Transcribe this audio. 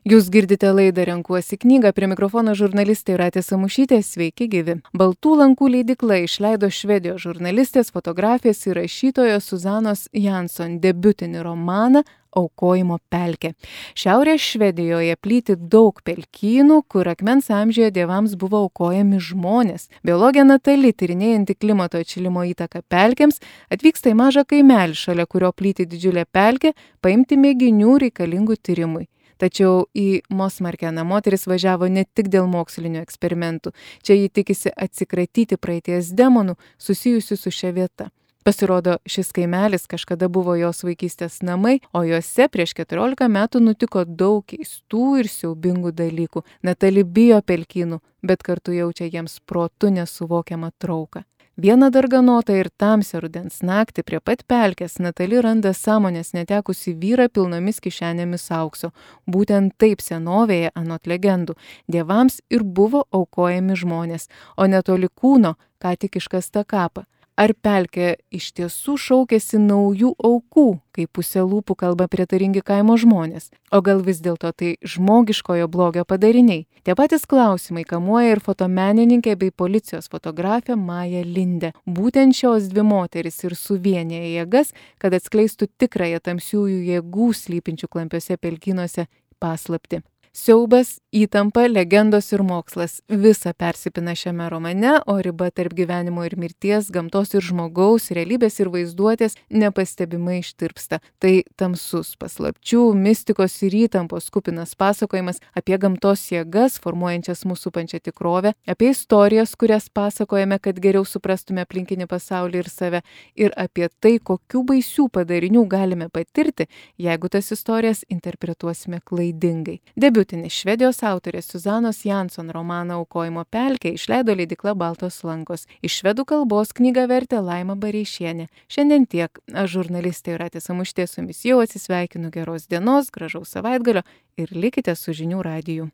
Jūs girdite laidą Renkuosi knygą, prie mikrofono žurnalistė Jūratė Samušytė, sveiki gyvi. Baltų lankų leidykla išleido švedijos žurnalistės, fotografės ir rašytojos Suzanos Jansson debiutinį romaną Aukojimo pelkė. Šiaurės Švedijoje plyti daug pelkynų, kur akmens amžiuje dievams buvo aukojami žmonės. Biologė Natali, tyrinėjanti klimato atšilimo įtaką pelkėms, atvyksta į mažą kaimelį, šalia kurio plyti didžiulė pelkė, paimti mėginių reikalingų tyrimui. Tačiau į Mosmarkeną moteris važiavo ne tik dėl mokslinių eksperimentų. Čia ji tikisi atsikratyti praeities demonų susijusių su šia vieta. Pasirodo, šis kaimelis kažkada buvo jos vaikystės namai, o juose prieš 14 metų nutiko daug keistų ir siaubingų dalykų. Natali bijo pelkynų, bet kartu jaučia jiems protu nesuvokiamą trauką. Vieną darganotą ir tamsią rudens naktį prie pat pelkės Natali randa sąmonės netekusi vyrą pilnomis kišenėmis aukso. Būtent taip senovėje, anot legendų, dievams ir buvo aukojami žmonės, o netoli kūno ką tik iškasta kapą. Ar pelkė iš tiesų šaukėsi naujų aukų, kai pusė lūpų kalba prietaringi kaimo žmonės? O gal vis dėlto tai žmogiškojo blogio padariniai? Tie patys klausimai kamuoja ir fotomenininkę bei policijos fotografę Mają Lindę. Būtent šios dvi moterys ir suvienija jėgas, kad atskleistų tikrąją tamsiųjų jėgų slypinčių klampiuose pelkynuose paslaptį. Siaubas, įtampa, legendos ir mokslas - visa persipina šiame romane, o riba tarp gyvenimo ir mirties, gamtos ir žmogaus, realybės ir vaizduotės nepastebimai ištirpsta. Tai tamsus paslapčių, mistikos ir įtampos kupinas pasakojimas apie gamtos jėgas, formuojančias mūsų supančią tikrovę, apie istorijas, kurias pasakojame, kad geriau suprastume aplinkinį pasaulį ir save, ir apie tai, kokių baisių padarinių galime patirti, jeigu tas istorijas interpretuosime klaidingai. Debiutinis švedijos autorės Suzanos Jansson romaną Aukojimo pelkė išleido leidykla Baltos lankos. Iš švedų kalbos knygą vertė Laima Bareišienė. Šiandien tiek. Aš žurnalistė Jūratė Samušytė su jumis jau atsisveikinu. Geros dienos, gražaus savaitgalio ir likite su žinių radiju.